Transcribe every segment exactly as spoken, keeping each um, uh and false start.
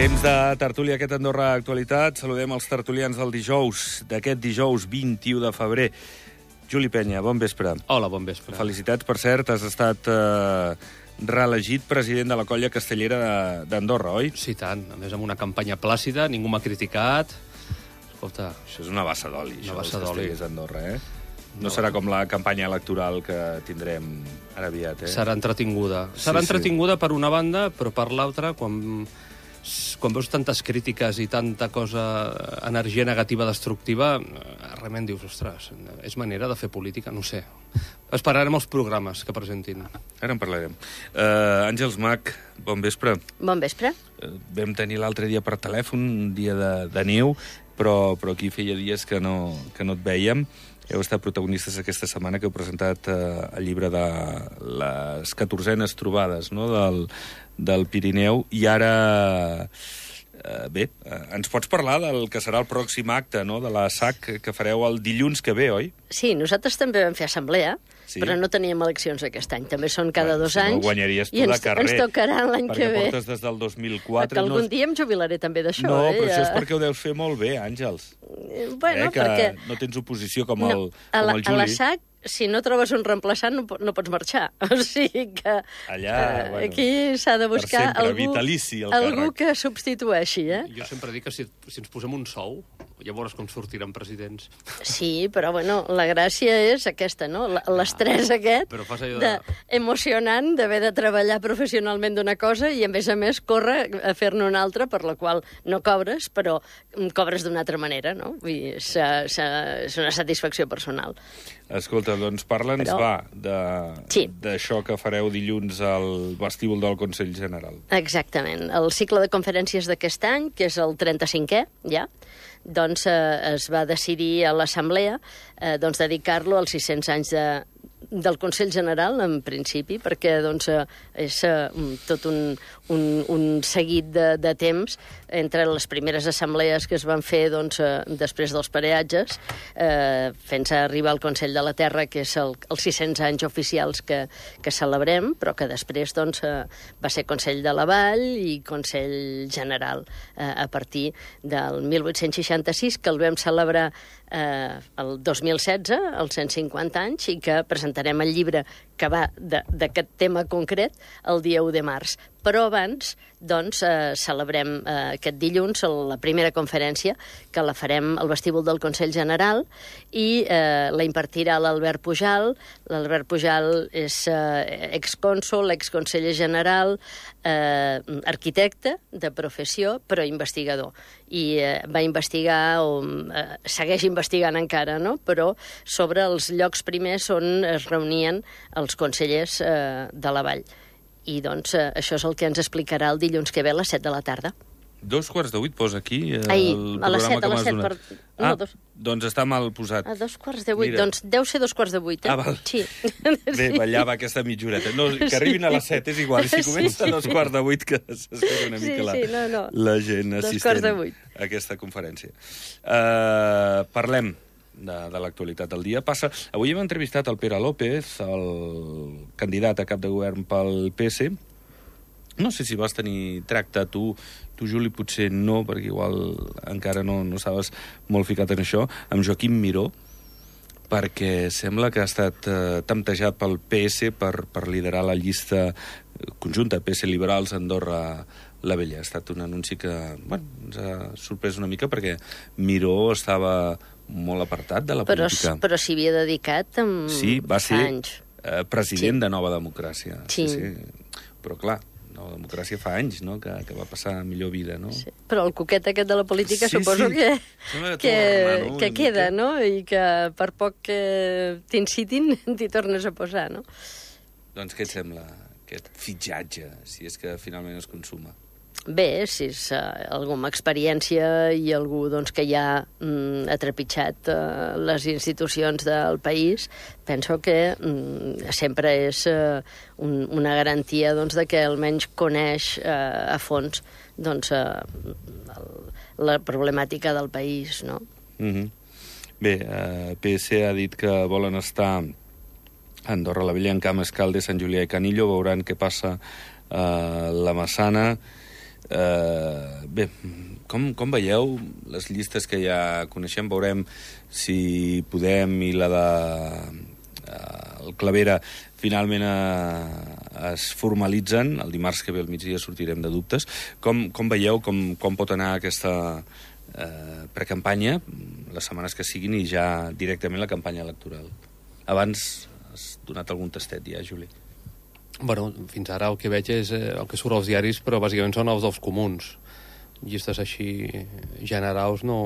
Temps de tertúlia aquest Andorra Actualitat. Saludem els tertulians del dijous, d'aquest dijous vint-i-u de febrer. Juli Penya, bon vespre. Hola, bon vespre. Felicitats, per cert, has estat eh, reelegit president de la colla castellera d'Andorra, oi? Sí, tant. A més, amb una campanya plàcida, ningú m'ha criticat. Escolta... Això és una bassa d'oli, Una això bassa dels d'oli. castellers d'Andorra, eh? No, No. serà com la campanya electoral que tindrem ara aviat, eh? Serà entretinguda. Sí, Serà sí. entretinguda per una banda, però per l'altra, quan, quan veus tantes crítiques i tanta cosa, energia negativa destructiva, realment dius, ostres, és manera de fer política? No ho sé. Esperarem els programes que presentin. Ara en parlarem. Uh, Àngels Mac, bon vespre. Bon vespre. Uh, vam tenir l'altre dia per telèfon, un dia de, de neu, però, però aquí feia dies que no, que no et vèiem. Heu estat protagonistes aquesta setmana que heu presentat eh, el llibre de les catorzenes trobades, no?, del, del Pirineu. I ara, eh, bé, eh, ens pots parlar del que serà el pròxim acte, no?, de la S A C que fareu el dilluns que ve, oi? Sí, nosaltres també vam fer assemblea, Sí. però no teníem eleccions aquest any. També són cada Bueno, dos si no, anys. guanyaries tu i ens, de carrer, ens tocarà l'any que perquè ve. portes des del dos mil quatre. Que algun no... dia em jubilaré també d'això. No, eh? però això és perquè ho deus fer molt bé, Àngels. Eh, Bueno, eh, que perquè... no tens oposició com el, No, a, la, com el a la Juli. S A C, si no trobes un reemplaçant, no, po- no pots marxar. O sigui que Allà, eh, bueno, aquí s'ha de per buscar sempre, algú, vitalici, el algú càrrec. que substitueixi, eh? Jo sempre dic que si, si ens posem un sou, llavors com sortiran presidents. Sí, però bueno, la gràcia és aquesta, no? L- L'estrès aquest Però fas allò de... de... emocionant d'haver de treballar professionalment d'una cosa i, a més a més, córrer a fer-ne una altra, per la qual no cobres, però cobres d'una altra manera, no? Vull dir, és, és una satisfacció personal. Escolta, doncs parla'ns, Però- va, de- Sí. d'això que fareu dilluns al vestíbul del Consell General. Exactament. El cicle de conferències d'aquest any, que és el trenta-cinquè, ja, doncs eh, es va decidir a l'Assemblea eh, doncs, dedicar-lo als sis-cents anys de, del Consell General, en principi, perquè doncs, eh, és eh, tot un, un, un seguit de, de temps entre les primeres assemblees que es van fer doncs, eh, després dels pareatges, eh, fent-se arribar al Consell de la Terra, que és el, els sis-cents anys oficials que, que celebrem, però que després doncs, eh, va ser Consell de la Vall i Consell General eh, a partir del mil vuit-cents seixanta-sis, que el vam celebrar eh, el dos mil setze, els cent cinquanta anys, i que presentarem el llibre que va de- d'aquest tema concret el dia u de març. Però abans, doncs, eh, celebrem eh, aquest dilluns la primera conferència, que la farem al vestíbul del Consell General, i eh, la impartirà l'Albert Pujal. L'Albert Pujal és eh, excònsol, exconseller general, eh, arquitecte de professió, però investigador. I eh, va investigar, o eh, segueix investigant encara, no?, però sobre els llocs primers on es reunien els consellers eh, de la Vall. I, doncs, eh, això és el que ens explicarà el dilluns que ve a les set de la tarda. Dos quarts de vuit posa aquí eh, Ai, el a les programa set, que a les m'has set donat. per- no, Ah, dos. doncs està mal posat. A dos quarts de vuit. Mira. Doncs deu ser dos quarts de vuit, eh? Ah, val. Sí. Bé, ballava aquesta mitjoreta. No, que arribin a les set, és igual. Si Sí, comença sí. a dos quarts de vuit, que s'espera una Sí, mica la, sí, no, no. la gent Dos assistent quarts de vuit. a aquesta conferència. Uh, parlem de, de l'actualitat del dia. Passa... Avui hem entrevistat el Pere López, el candidat a cap de govern pel P S. No sé si vas tenir tracte tu, tu, Juli, potser no, perquè igual encara no, no estaves molt ficat en això, amb Joaquim Miró, perquè sembla que ha estat eh, temptejat pel P S per, per liderar la llista conjunta P S Liberals Andorra la Vella. Ha estat un anunci que, bueno, ens ha sorprès una mica perquè Miró estava molt apartat de la Però, política. però s'hi havia dedicat amb Sí, va fa ser anys. eh, president Sí. de Nova Democràcia. Sí. sí. Però, clar, Nova Democràcia fa anys, no?, que, que va passar a millor vida, no? Sí. Però el coquet aquest de la política Sí, suposo sí. que, Sembla que que, torna, no?, que una queda, mica. no? I que per poc que t'incitin t'hi tornes a posar, no? Doncs què et sembla, aquest fitxatge, si és que finalment es consuma? Bé, si és uh, algú amb experiència i algú doncs, que ja mm, ha trepitjat uh, les institucions del país, penso que mm, sempre és uh, un, una garantia doncs, de que almenys coneix uh, a fons doncs, uh, el, la problemàtica del país, no? Mm-hmm. Bé, eh, P S ha dit que volen estar a Andorra la Vella, en Camp Escalde, Sant Julià i Canillo. Veuran què passa a la Massana. Uh, bé, com, com veieu les llistes que ja coneixem? Veurem si Podem i la de uh, el Clavera finalment uh, es formalitzen. El dimarts que ve al migdia sortirem de dubtes. Com, com veieu, com, com pot anar aquesta uh, precampanya, les setmanes que siguin, i ja directament la campanya electoral? Abans has donat algun tastet ja, Juli. Bueno, fins ara el que veig és eh, el que surt als diaris, però bàsicament són els dels comuns. Llistes així generals no,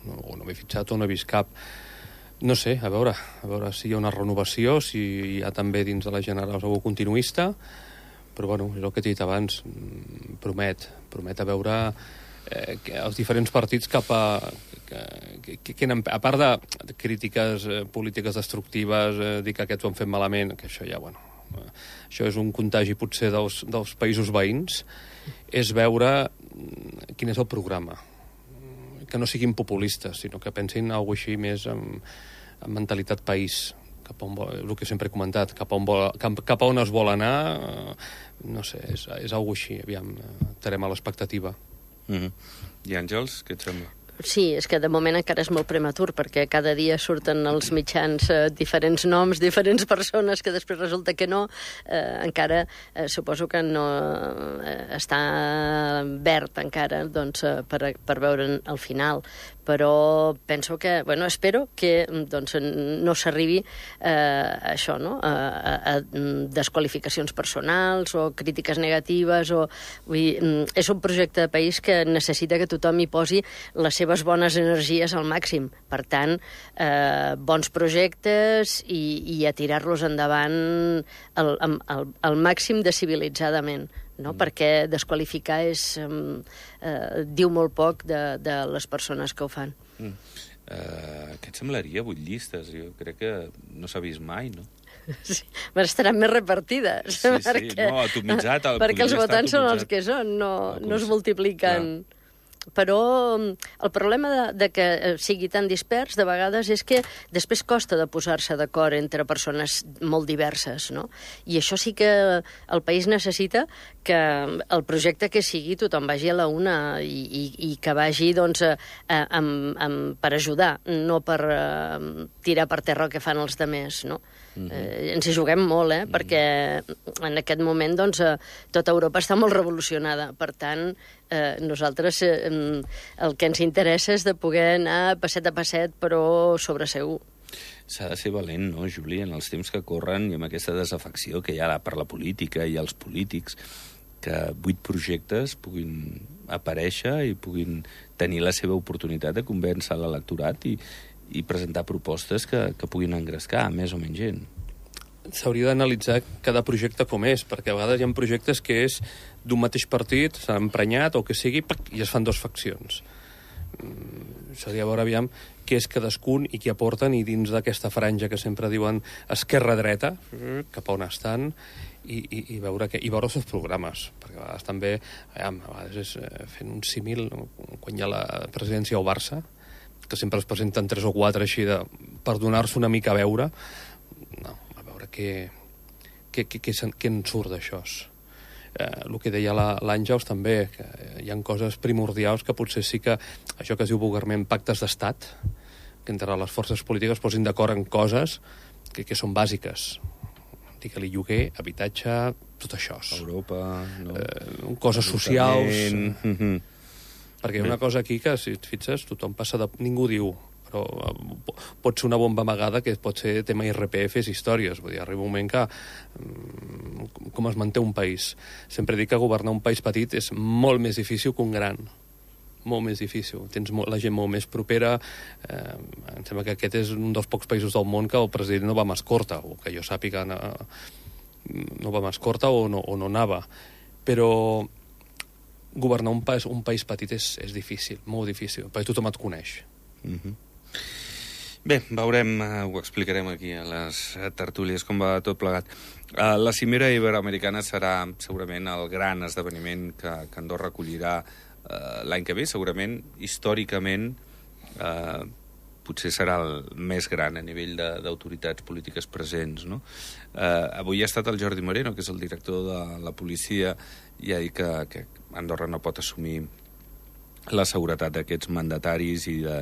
no, no m'he fixat o no he vist cap. No sé, a veure, a veure si hi ha una renovació, si hi ha també dins de les generals algú continuista, però bueno, és el que t'he dit abans, promet, promet a veure eh, que els diferents partits cap a... Que, que, que, a part de crítiques eh, polítiques destructives, eh, dir que aquests ho han fet malament, que això ja, bueno, eh, això és un contagi potser dels, dels països veïns, és veure quin és el programa. Que no siguin populistes, sinó que pensin en alguna cosa així més amb, amb mentalitat país, cap a on vol, el que sempre he comentat, cap a on, vol, cap, cap a on es vol anar, eh, no sé, és, és alguna cosa així, aviam, estarem a l'expectativa. Mm-hmm. I Àngels, què et sembla? Sí, és que de moment encara és molt prematur, perquè cada dia surten als mitjans eh, diferents noms, diferents persones, que després resulta que no. Eh, encara eh, suposo que no eh, està verd encara, doncs, eh, per, per veure el final. Però penso que, bueno, espero que doncs, no s'arribi eh, a això, no? A, a, a desqualificacions personals o crítiques negatives. O, vull dir, és un projecte de país que necessita que tothom hi posi les seves bones energies al màxim. Per tant, eh, bons projectes i, i a tirar-los endavant al, al, al màxim de civilitzadament. No? Mm. Perquè desqualificar és, eh, diu molt poc de, de les persones que ho fan. Mm. Uh, què et semblaria, vuit llistes? Jo crec que no s'ha vist mai, no? Sí, però estaran més repartides. Sí, sí, perquè, no, atomitzat. El, perquè els votants són els que són, no, no es multipliquen... Clar. Però el problema de, de que sigui tan dispers, de vegades, és que després costa de posar-se d'acord entre persones molt diverses, no? I això sí que el país necessita que el projecte que sigui tothom vagi a la una i, i, i que vagi, doncs, a, a, amb, amb, per ajudar, no per a, tirar per terra el que fan els demés, no? Mm-hmm. eh, ens hi juguem molt, eh? Mm-hmm. Perquè en aquest moment, doncs, tota Europa està molt revolucionada. Per tant, eh, nosaltres eh, el que ens interessa és de poder anar passet a passet, però sobre segur. S'ha de ser valent, no, Juli, en els temps que corren i amb aquesta desafecció que hi ha per la política i els polítics, que vuit projectes puguin aparèixer i puguin tenir la seva oportunitat de convèncer l'electorat i, i presentar propostes que, que puguin engrescar més o menys gent. S'hauria d'analitzar cada projecte com és, perquè a vegades hi ha projectes que és d'un mateix partit, s'han emprenyat o que sigui, i es fan dues faccions. Mm, seria veure, aviam, què és cadascun i què aporten, i dins d'aquesta franja que sempre diuen esquerra-dreta, cap a on estan, i, i, i, veure que, i veure els seus programes, perquè a vegades també, aviam, a vegades és fent un símil, quan hi ha la presidència al Barça, que sempre es presenten tres o quatre així de, per donar-se una mica a veure, no, a veure què, què, què, què, què en surt d'això. Eh, el que deia l'Àngels també, que hi ha coses primordials que potser sí que, això que es diu vulgarment pactes d'estat, que entre les forces polítiques posin d'acord en coses que, que són bàsiques. Digue-li lloguer, habitatge, tot això. Europa, no? Eh, coses socials... Mm-hmm. Perquè hi ha una cosa aquí que, si et fixes, tothom passa de... Ningú diu, però pot ser una bomba amagada que pot ser tema I R P F i històries. Vull dir, arriba un moment que... Com es manté un país? Sempre dic que governar un país petit és molt més difícil que un gran. Molt més difícil. Tens la gent molt més propera. Eh, em sembla que aquest és un dels pocs països del món que el president no va amb escorta, o que jo sàpiga no, no va amb escorta o no, o no anava. Però... governar un país, un país petit és, és difícil, molt difícil, perquè tothom et coneix. Mm-hmm. Bé, veurem, uh, ho explicarem aquí a les tertúlies, com va tot plegat. Uh, la cimera iberoamericana serà segurament el gran esdeveniment que, que Andorra acollirà uh, l'any que ve, segurament, històricament, uh, potser serà el més gran a nivell d'autoritats polítiques presents, no? Eh, avui ha estat el Jordi Moreno, que és el director de la policia, i ha dit que, que Andorra no pot assumir la seguretat d'aquests mandataris i de,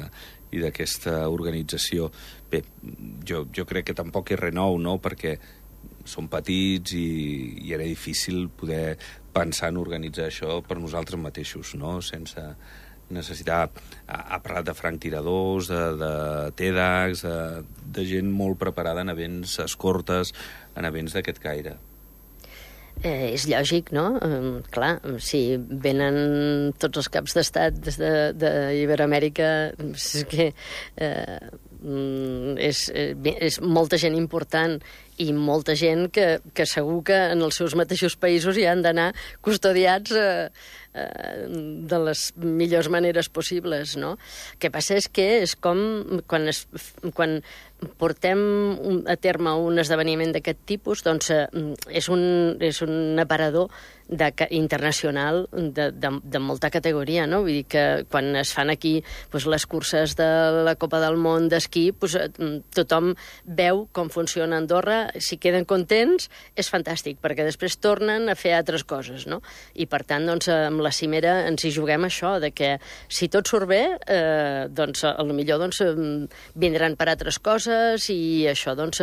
i d'aquesta organització. Bé, jo, jo crec que tampoc és res nou, no?, perquè són petits i, i era difícil poder pensar en organitzar això per nosaltres mateixos, no?, sense necessitar... Ha parlat de franctiradors, de, de TEDx, de, de gent molt preparada en events escortes, en events d'aquest caire. Eh, és lògic, no? Eh, clar, si venen tots els caps d'estat des d'Iberoamèrica, és que eh, és, és molta gent important i molta gent que, que segur que en els seus mateixos països hi han d'anar custodiats eh, eh, de les millors maneres possibles, no? El que passa és que és com quan, es, quan portem a terme un esdeveniment d'aquest tipus, doncs eh, és, un, és un aparador de, internacional de, de, de molta categoria, no? Vull dir que quan es fan aquí doncs, les curses de la Copa del Món d'esquí, doncs, tothom veu com funciona Andorra, si queden contents és fantàstic, perquè després tornen a fer altres coses, no? I per tant, doncs, amb la cimera ens hi juguem això, de que si tot surt bé, eh, doncs, potser doncs, vindran per altres coses i això doncs,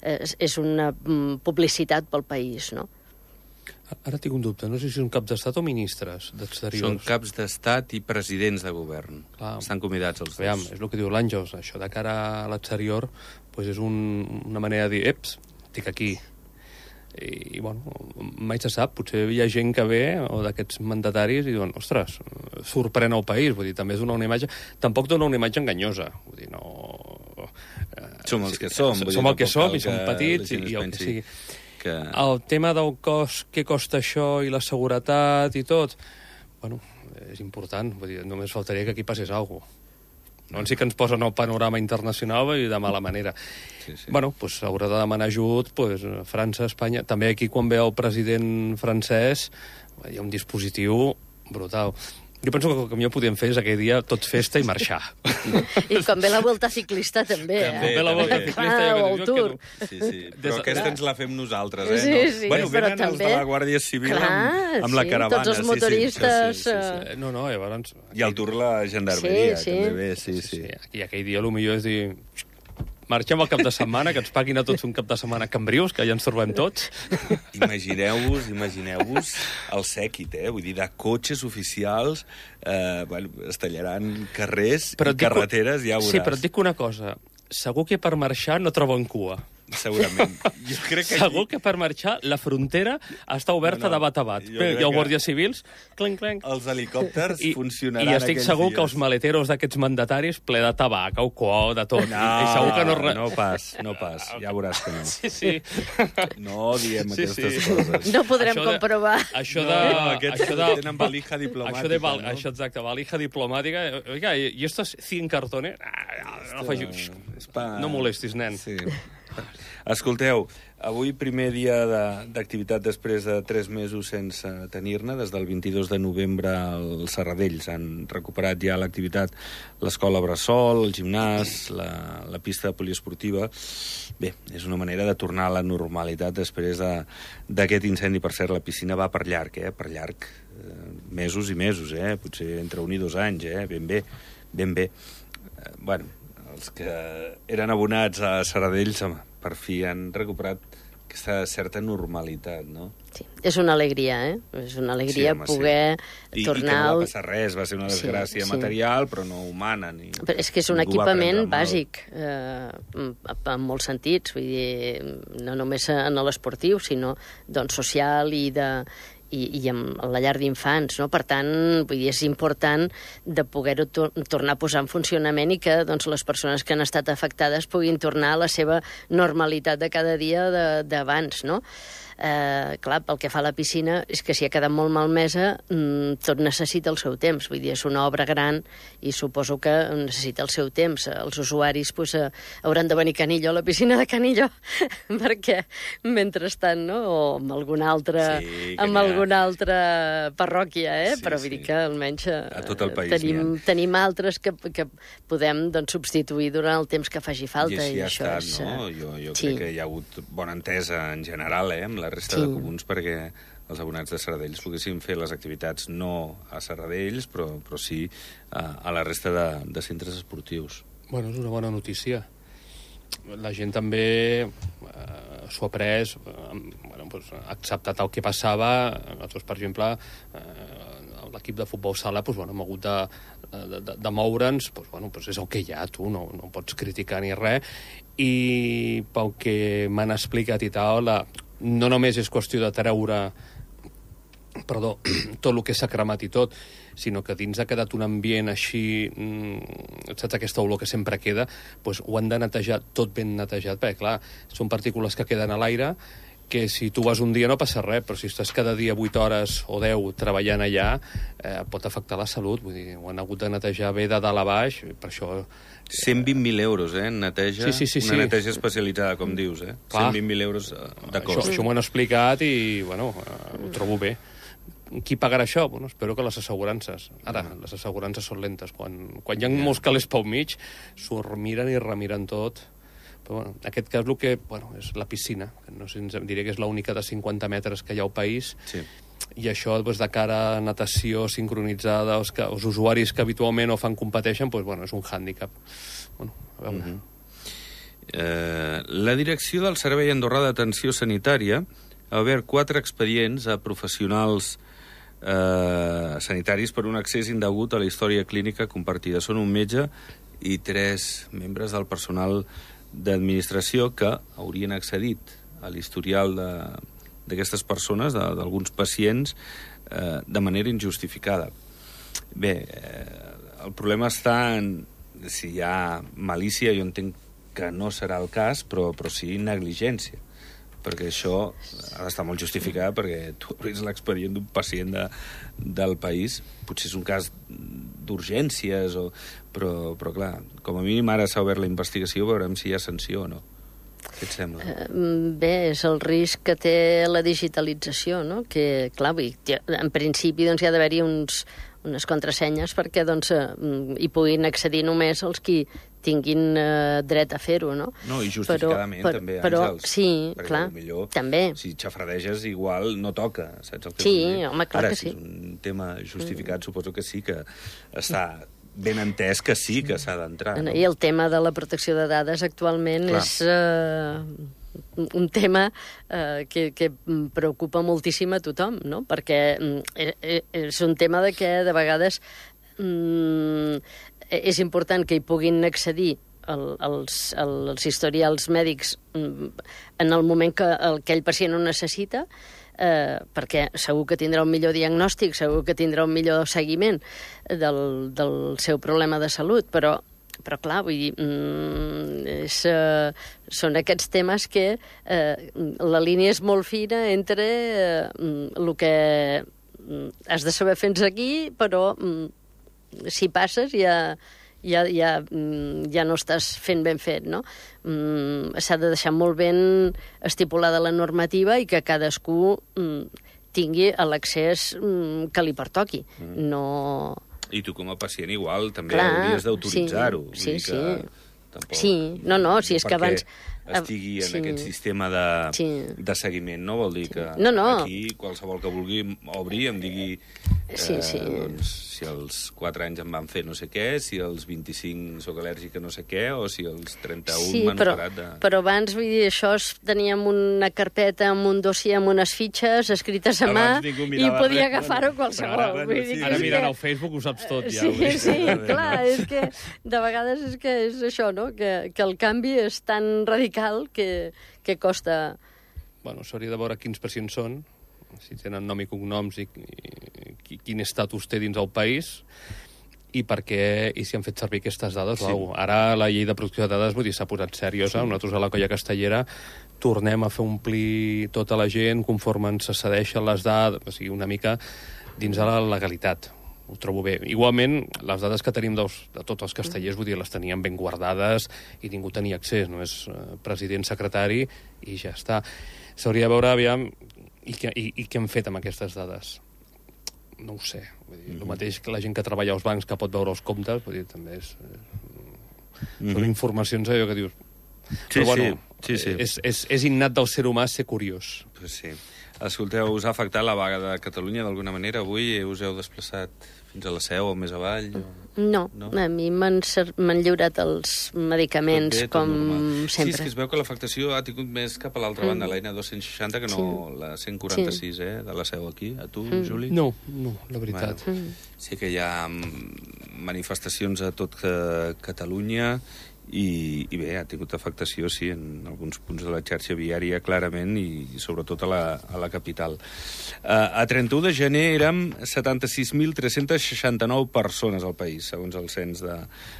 és una publicitat pel país, no? Ara tinc un dubte, no sé si són caps d'estat o ministres d'exteriors. Són caps d'estat i presidents de govern. Clar, estan convidats els dos. Veiem, és el que diu l'Àngels, això de cara a l'exterior pues és un, una manera de dir, eps, estic aquí. I, i bueno, mai se sap, potser hi ha gent que ve, o d'aquests mandataris, i diuen, ostres, sorprèn el país, vull dir, també és una, una imatge... Tampoc dona una imatge enganyosa, vull dir, no... Som els que som. Som, som el que som, i som petits, i el que sigui. Que... El tema del cost, què costa això, i la seguretat i tot, bueno, és important. Vull dir, només faltaria que aquí passés alguna cosa. No en sí que ens posen el panorama internacional i de mala manera. Sí, sí. Bueno, pues, haurà de demanar ajut pues, França, Espanya... També aquí, quan ve el president francès, hi ha un dispositiu brutal. Jo penso que el que millor podíem fer és aquell dia tot festa i marxar. I com ve la volta ciclista, també. També, eh? ve la volta ciclista. Ah, o el Tour. No... Sí, sí. Però aquesta ens la fem nosaltres, eh? Sí, no? sí, bueno, però venen també... els de la Guàrdia Civil Clar, amb, amb sí, la caravana. tots els motoristes... Sí, sí, sí, sí. No, no, llavors... I el Tour la gendarmeria, sí, sí. també ve, sí, sí. sí, sí. I aquell dia el millor és dir... Marxem al cap de setmana, que ens paguin a tots un cap de setmana a Cambrius, que ja ens trobem tots. Imagineu-vos, imagineu-vos el sèquit, eh? Vull dir, de cotxes oficials, eh, bueno, es tallaran carrers però i carreteres, ja ho veuràs. Sí, però et dic una cosa, segur que per marxar no troben cua. Segurament. Jo crec que Segur aquí... que per marxar la frontera està oberta no, no, de bat a bat. Hi ha guàrdies civils, clenc, clenc. Els helicòpters I, funcionaran. I estic segur dies. que els maleteros d'aquests mandataris ple de tabac, o coa, de tot. No, I segur que no... no pas, no pas. Ja veuràs que no. Sí, sí. No diem sí, aquestes sí. coses. No podrem això de, comprovar. Això de... No, aquests això de, tenen valija diplomàtica. Això, de val, no? això exacte, valija diplomàtica. Oiga, i estos cien cartones? Ah, no, faig... no molestis, nen. Sí. Escolteu, avui primer dia d'activitat després de tres mesos sense tenir-ne, des del vint-i-dos de novembre els Serradells han recuperat ja l'activitat, l'escola Bressol, el gimnàs, la, la pista poliesportiva. Bé, és una manera de tornar a la normalitat després d'aquest incendi. Per cert, la piscina va per llarg, eh? Per llarg, eh, mesos i mesos, eh? Potser entre un i dos anys, eh? Ben bé, ben bé. Eh, bueno, els que eren abonats a Serradells, home, per fi han recuperat aquesta certa normalitat, no? Sí, és una alegria, eh? És una alegria sí, home, poder sí. tornar... I, I que no va passar res, va ser una desgràcia sí, material, sí. però no humana. Ni... Però és que és un equipament bàsic, eh, en molts sentits, vull dir, no només en l'esportiu, sinó doncs, social i de... i, i amb la llar d'infants, no? Per tant, vull dir, és important de poder-ho tor tornar a posar en funcionament i que doncs, les persones que han estat afectades puguin tornar a la seva normalitat de cada dia d'abans, no? Eh, clar, pel que fa a la piscina, és que si ha quedat molt malmesa, mm, tot necessita el seu temps. Vull dir, és una obra gran i suposo que necessita el seu temps. Els usuaris pues, eh, hauran de venir a Canillo, a la piscina de Canillo, perquè mentrestant, no? O amb alguna altra, sí, amb alguna altra parròquia, eh? Sí, Però vull sí. dir que almenys eh, A tot el país tenim, tenim altres que, que podem doncs, substituir durant el temps que faci falta. I així i ha això estat, és, no? eh, Jo, jo sí. crec que hi ha hagut bona entesa en general, eh, amb la resta Sí. de comuns perquè els abonats de Serradells poguessin fer les activitats no a Serradells, però, però sí a, a la resta de, de centres esportius. Bueno, és una bona notícia. La gent també eh, s'ho ha pres, eh, bueno, pues, ha acceptat el que passava. Nosaltres, per exemple, eh, l'equip de futbol sala pues, bueno, hem hagut de, de, de, de moure'ns, pues, bueno, pues és el que hi ha, tu no, no pots criticar ni res. I pel que m'han explicat i tal, la, no només és qüestió de treure perdó, tot el que s'ha cremat i tot, sinó que dins ha quedat un ambient així, mmm, saps, aquesta olor que sempre queda, doncs ho han de netejar tot ben netejat, perquè, clar, són partícules que queden a l'aire, que si tu vas un dia no passa res, però si estàs cada dia vuit hores o deu treballant allà, eh, pot afectar la salut, vull dir, ho han hagut de netejar bé de dalt a baix, per això... cent vint mil euros, eh, en neteja, Sí, sí, sí, una sí. neteja especialitzada, com dius, eh? Clar. cent vint mil euros de Això, cost. això m'ho han explicat i, bueno, eh, ho trobo bé. Qui pagarà això? Bueno, espero que les assegurances. Ara, les assegurances són lentes. Quan, quan hi ha molts calés pel mig, s'ho miren i remiren tot. Però, bueno, en aquest cas, el que, bueno, és la piscina, que no sé, ens diré que és l'única de cinquanta metres que hi ha al país, Sí. i això, doncs, de cara a natació sincronitzada, els, que, els usuaris que habitualment no fan competeixen, doncs, bueno, és un hàndicap. Bueno, a veure... Mm-hmm. Eh, la direcció del Servei Andorrà d'Atenció Sanitària ha obert quatre expedients a professionals eh, sanitaris per un accés indegut a la història clínica compartida. Són un metge i tres membres del personal d'administració que haurien accedit a l'historial d'aquestes persones, d'alguns pacients, eh, de manera injustificada. Bé, eh, el problema està en si hi ha malícia, jo entenc que no serà el cas, però, però sí negligència, perquè això ha d'estar molt justificat, perquè tu obris l'expedient d'un pacient de, del país, potser és un cas d'urgències, o, però, però clar, com a mínim ara s'ha obert la investigació, veurem si hi ha sanció o no. Què et sembla? Bé, és el risc que té la digitalització, no? Que, clar, en principi doncs, hi ha d'haver-hi uns, unes contrasenyes perquè doncs, hi puguin accedir només els qui tinguin eh, dret a fer-ho, no? No, i justificadament però, també, però, Àngels. Sí, perquè clar, millor, també. Si xafradeges, igual no toca, saps el que Sí, vull dir? home, clar Ara, que si sí. és un tema justificat, mm. suposo que sí, que està ben entès que sí que s'ha d'entrar. No? I el tema de la protecció de dades actualment clar. és eh, un tema eh, que, que preocupa moltíssim a tothom, no? Perquè eh, és un tema de que de vegades mm, és important que hi puguin accedir el, els, els historials mèdics en el moment que aquell pacient ho necessita, eh, perquè segur que tindrà un millor diagnòstic, segur que tindrà un millor seguiment del, del seu problema de salut, però però clar, vull dir, mm, és, eh, són aquests temes que eh, la línia és molt fina entre eh, el que has de saber fins aquí, però mm, si passes ja, ja, ja, ja no estàs fent ben fet, no? Mm, s'ha de deixar molt ben estipulada la normativa i que cadascú mm, tingui l'accés mm, que li pertoqui. Mm. No... I tu com a pacient igual també Clar, hauries d'autoritzar-ho. Sí, sí, que tampoc, sí. No, no, si és que abans... estigui en sí. aquest sistema de, sí. de seguiment, no? Vol dir que no, no. aquí qualsevol que vulgui obrir em digui eh, sí, sí. doncs, si als quatre anys em van fer no sé què, si als vint-i-cinc sóc al·lèrgic a no sé què, o si als trenta-un sí, m'han però, operat de... però abans, vull dir, això es teníem una carpeta amb un dossier amb unes fitxes escrites a mà i podia agafar-ho qualsevol. Ara, vull dir ara mirant que... al Facebook ho saps tot, ja. Sí, sí, clar, és que de vegades és que és això, no? Que, que el canvi és tan radical que, que costa... Bueno, s'hauria de veure quins pacients són, si tenen nom i cognoms i, i, i quin estatus té dins el país, i per què, i si han fet servir aquestes dades. Sí. Uau, ara la llei de protecció de dades, vull dir, s'ha posat seriosa. Sí. Nosaltres a la Colla Castellera tornem a fer omplir tota la gent conforme ens cedeixen les dades, o sigui, una mica dins de la legalitat. Ho trobo bé. Igualment, les dades que tenim dels, de tots els castellers, vull dir, les teníem ben guardades i ningú tenia accés, només eh, president, secretari, i ja està. S'hauria de veure, aviam, i què, i, i què hem fet amb aquestes dades. No ho sé. Vull dir, mm-hmm. El mateix que la gent que treballa als bancs que pot veure els comptes, vull dir, també és... Mm-hmm. Són informacions allò que dius... Sí, Però, bueno, sí, sí, sí. És, és, és innat del ser humà ser curiós. Pues sí. Escolteu, us ha afectat la vaga de Catalunya d'alguna manera avui? Us heu desplaçat fins a la Seu o més avall? O... No, no, a mi m'han lliurat els medicaments bé, com normal. sempre. Sí, és que es veu que l'afectació ha tingut més cap a l'altra banda, mm. la N dos cents seixanta, que no sí. la cent quaranta-sis, sí. eh, de la Seu aquí. A tu, mm. Juli? No, no, la veritat. Bueno, mm. Sí que hi ha manifestacions a tot Catalunya i, i bé, ha tingut afectació, sí, en alguns punts de la xarxa viària, clarament, i sobretot a la, a la capital. Uh, a trenta-u de gener érem setanta-sis mil tres-cents seixanta-nou persones al país, segons el cens de,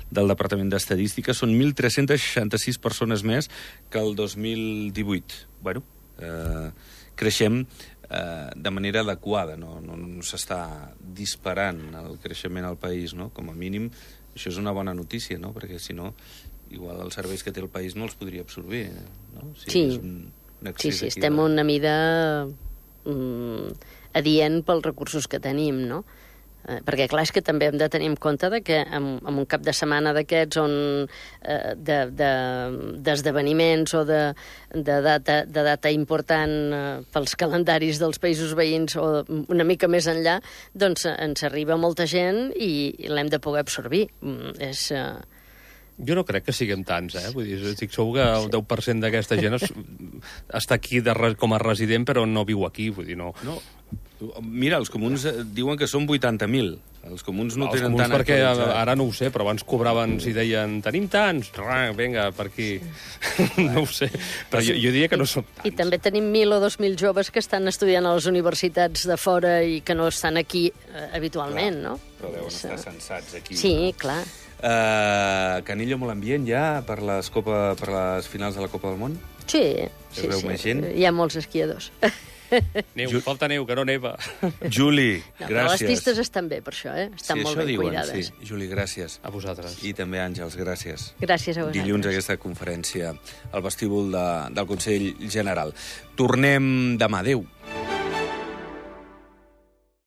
del Departament d'Estadística. Són mil tres-cents seixanta-sis persones més que el dos mil divuit. Bueno, uh, creixem uh, de manera adequada, no, no, no s'està disparant el creixement al país, no? Com a mínim, això és una bona notícia, no? Perquè si no, igual els serveis que té el país no els podria absorbir, no? Si sí, un, un sí, sí, estem de... una mida mm, adient pels recursos que tenim, no? Eh, perquè, clar, és que també hem de tenir en compte de que en, en un cap de setmana d'aquests on eh, d'esdeveniments de, de, o de, de, data, de data important eh, pels calendaris dels països veïns o una mica més enllà, doncs ens arriba molta gent i, i l'hem de poder absorbir. Mm, és... Eh, Jo no crec que siguem tants, eh? Vull dir, estic segur que el deu per cent d'aquesta gent es, està aquí de, com a resident, però no viu aquí, vull dir, no... no. Mira, els comuns diuen que són vuitanta mil. Els comuns no els tenen comuns tant... perquè ara no ho sé, però abans cobraven, si deien, tenim tants, vinga, per aquí. No ho sé, però jo, jo diria que no són tants. I també tenim mil o dos mil joves que estan estudiant a les universitats de fora i que no estan aquí eh, habitualment, clar, no? Però deuen estar censats aquí. Sí, no? clar. Uh, Canillo molt ambient ja per les, Copa, per les finals de la Copa del Món? Sí, sí, veu sí. Més gent? Hi ha molts esquiadors. Neu, Ju... falta neu, que no neva. Juli, no, gràcies. Les pistes estan bé, per això, eh? Estan sí, molt ben diuen, cuidades. Sí. Juli, gràcies. A vosaltres. I també Àngels, gràcies. Gràcies a vosaltres. Dilluns aquesta conferència al vestíbul de, del Consell General. Tornem demà. Adéu.